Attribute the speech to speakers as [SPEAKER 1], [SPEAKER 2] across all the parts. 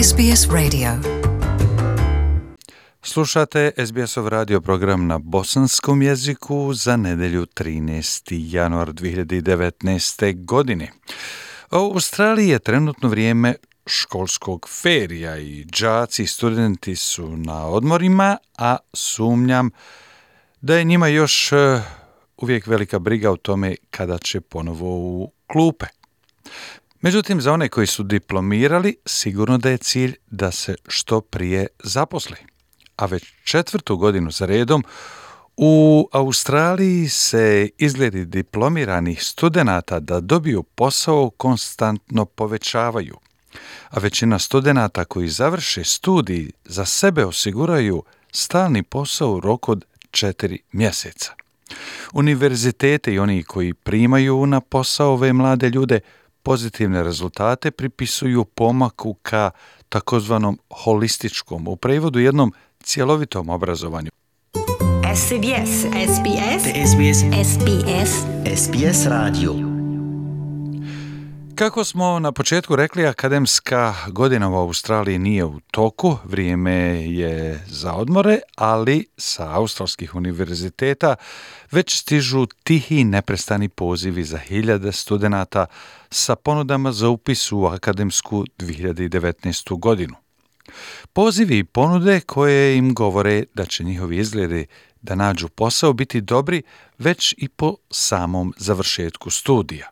[SPEAKER 1] SBS Radio.
[SPEAKER 2] Slušate SBS-ov radio program na bosanskom jeziku za nedelju 13. januar 2019. godine. U Australiji je trenutno vrijeme školskog ferija i đaci i studenti su na odmorima, a sumnjam da je njima još uvijek velika briga o tome kada će ponovo u klupe. Međutim, za one koji su diplomirali, sigurno da je cilj da se što prije zaposli. A već 4. godinu za redom u Australiji se izgledi diplomiranih studenata da dobiju posao konstantno povećavaju. A većina studenata koji završe studij za sebe osiguraju stalni posao u roku od 4 mjeseca. Univerzitete i oni koji primaju na posao ove mlade ljude pozitivne rezultate pripisuju pomaku ka takozvanom holističkom, u prevodu jednom cjelovitom obrazovanju.
[SPEAKER 3] SBS. SBS.
[SPEAKER 4] SBS.
[SPEAKER 3] SBS.
[SPEAKER 4] SBS radio.
[SPEAKER 2] Kako smo na početku rekli, akademska godina u Australiji nije u toku, vrijeme je za odmore, ali sa australskih univerziteta već stižu tihi i neprestani pozivi za hiljade studenata sa ponudama za upis u akademsku 2019. godinu. Pozivi i ponude koje im govore da će njihovi izgledi da nađu posao biti dobri već i po samom završetku studija.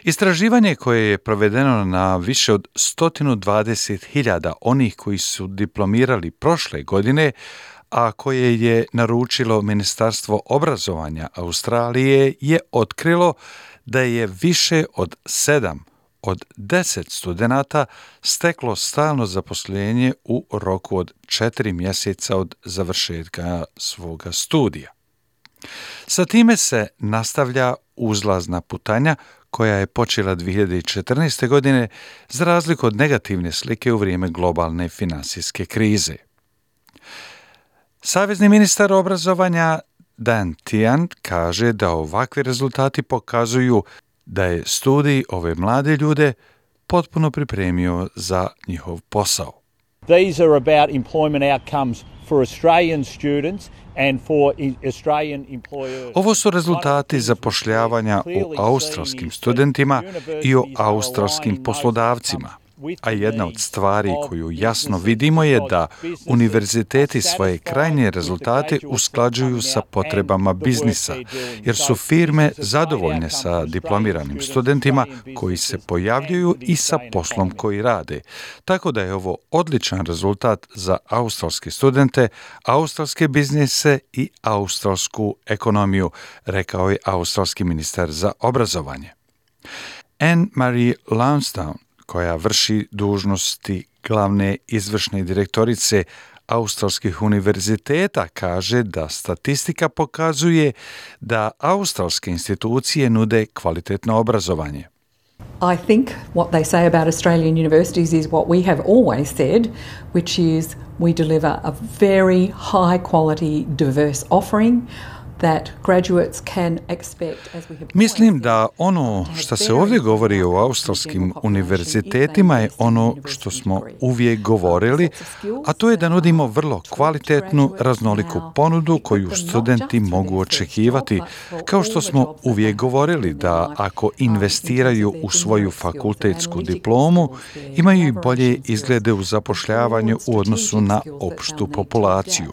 [SPEAKER 2] Istraživanje koje je provedeno na više od 120.000 onih koji su diplomirali prošle godine, a koje je naručilo Ministarstvo obrazovanja Australije, je otkrilo da je više od 7 od 10 studenata steklo stalno zaposlenje u roku od 4 mjeseca od završetka svoga studija. Sa time se nastavlja uzlazna putanja koja je počela 2014. godine za razliku od negativne slike u vrijeme globalne finansijske krize. Savezni ministar obrazovanja Dan Tehan kaže da ovakvi rezultati pokazuju da je studij ove mlade ljude potpuno pripremio za njihov posao.
[SPEAKER 5] These are about employment outcomes for Australian students and for Australian employers.
[SPEAKER 2] Ovo su rezultati zapošljavanja u australskim studentima i o australskim poslodavcima. A jedna od stvari koju jasno vidimo je da univerziteti svoje krajnje rezultate usklađuju sa potrebama biznisa, jer su firme zadovoljne sa diplomiranim studentima koji se pojavljuju i sa poslom koji rade. Tako da je ovo odličan rezultat za australske studente, australske biznise i australsku ekonomiju, rekao je australski ministar za obrazovanje. Anne-Marie Lansdowne, koja vrši dužnosti glavne izvršne direktorice australskih univerziteta, kaže da statistika pokazuje da australske institucije nude kvalitetno obrazovanje.
[SPEAKER 6] I think what they say about Australian universities is what we have always said, which is we deliver a very high quality, diverse offering that graduates can expect, as we have.
[SPEAKER 2] Mislim da ono što se ovdje govori o australskim univerzitetima je ono što smo uvijek govorili, a to je da nudimo vrlo kvalitetnu, raznoliku ponudu koju studenti mogu očekivati, kao što smo uvijek govorili da ako investiraju u svoju fakultetsku diplomu, imaju i bolje izglede u zapošljavanju u odnosu na opštu populaciju.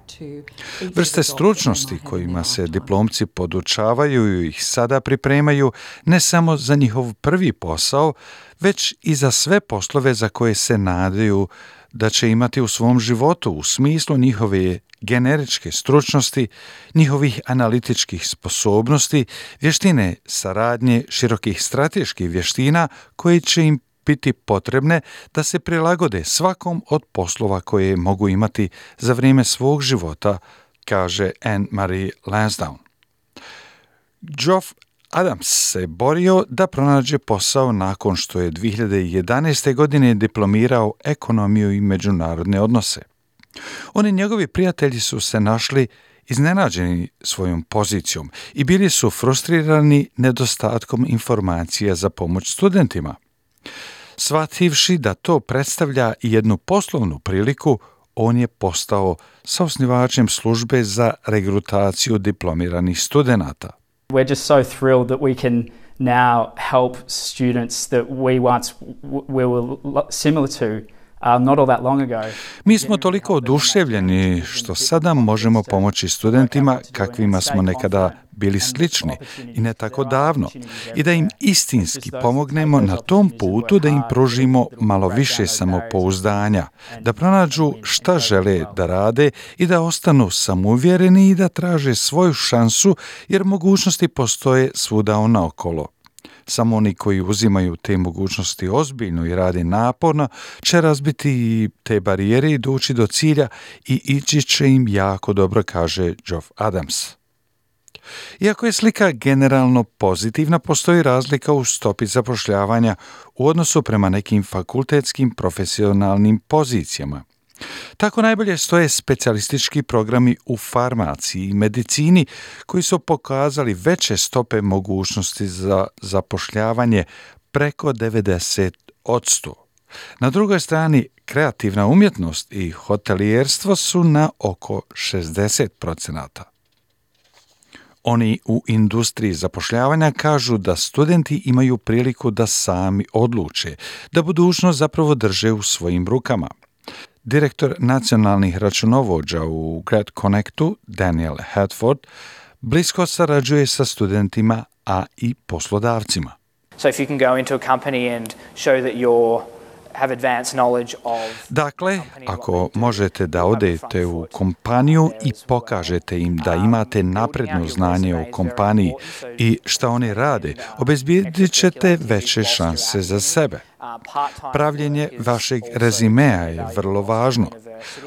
[SPEAKER 2] Vrste stručnosti kojima se diplomci podučavaju i ih sada pripremaju ne samo za njihov prvi posao, već i za sve poslove za koje se nadaju da će imati u svom životu u smislu njihove generičke stručnosti, njihovih analitičkih sposobnosti, vještine saradnje, širokih strateških vještina koje će im biti potrebne da se prilagode svakom od poslova koje mogu imati za vrijeme svog života, kaže Anne-Marie Lansdowne. Geoff Adams se borio da pronađe posao nakon što je 2011. godine diplomirao ekonomiju i međunarodne odnose. On i njegovi prijatelji su se našli iznenađeni svojom pozicijom i bili su frustrirani nedostatkom informacija za pomoć studentima. Shvativši da to predstavlja i jednu poslovnu priliku, on je postao saosnivačem službe za regrutaciju diplomiranih studenata.
[SPEAKER 1] We're just so thrilled that we can now help students that we once were similar to not all that long ago.
[SPEAKER 2] Mi smo toliko oduševljeni što sada možemo pomoći studentima kakvima smo nekada bili slični i ne tako davno i da im istinski pomognemo na tom putu, da im pružimo malo više samopouzdanja, da pronađu šta žele da rade i da ostanu samouvjereni i da traže svoju šansu jer mogućnosti postoje svuda naokolo. Samo oni koji uzimaju te mogućnosti ozbiljno i rade naporno će razbiti te barijere i doći do cilja i ići će im jako dobro, kaže Geoff Adams. Iako je slika generalno pozitivna, postoji razlika u stopi zapošljavanja u odnosu prema nekim fakultetskim profesionalnim pozicijama. Tako najbolje stoje specijalistički programi u farmaciji i medicini koji su pokazali veće stope mogućnosti za zapošljavanje preko 90%. Na drugoj strani, kreativna umjetnost i hotelijerstvo su na oko 60%. Oni u industriji zapošljavanja kažu da studenti imaju priliku da sami odluče, da budućnost zapravo drže u svojim rukama. Direktor nacionalnih računovođa u Grad Connectu, Daniel Hadford, blisko sarađuje sa studentima, a i poslodavcima. Dakle, ako možete da odete u kompaniju i pokažete im da imate napredno znanje o kompaniji i šta oni rade, obezbijedit ćete veće šanse za sebe. Pravljenje vašeg rezimea je vrlo važno.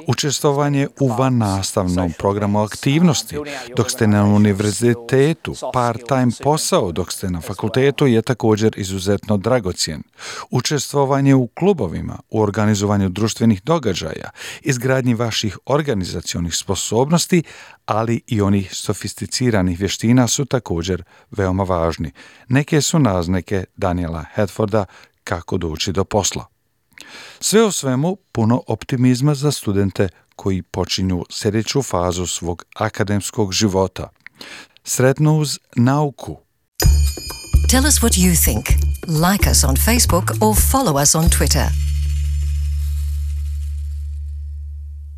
[SPEAKER 2] Učestvovanje u vannastavnom programu aktivnosti dok ste na univerzitetu, part-time posao dok ste na fakultetu je također izuzetno dragocjen. Učestvovanje u klubovima, u organizovanju društvenih događaja, izgradnji vaših organizacionih sposobnosti, ali i onih sofisticiranih vještina su također veoma važni. Neke su naznake Daniela Hadforda kako doći do posla. Sve u svemu puno optimizma za studente koji počinju sljedeću fazu svog akademskog života. Sretno uz nauku.
[SPEAKER 7] Tell us what you think. Like us on Facebook or follow us on Twitter.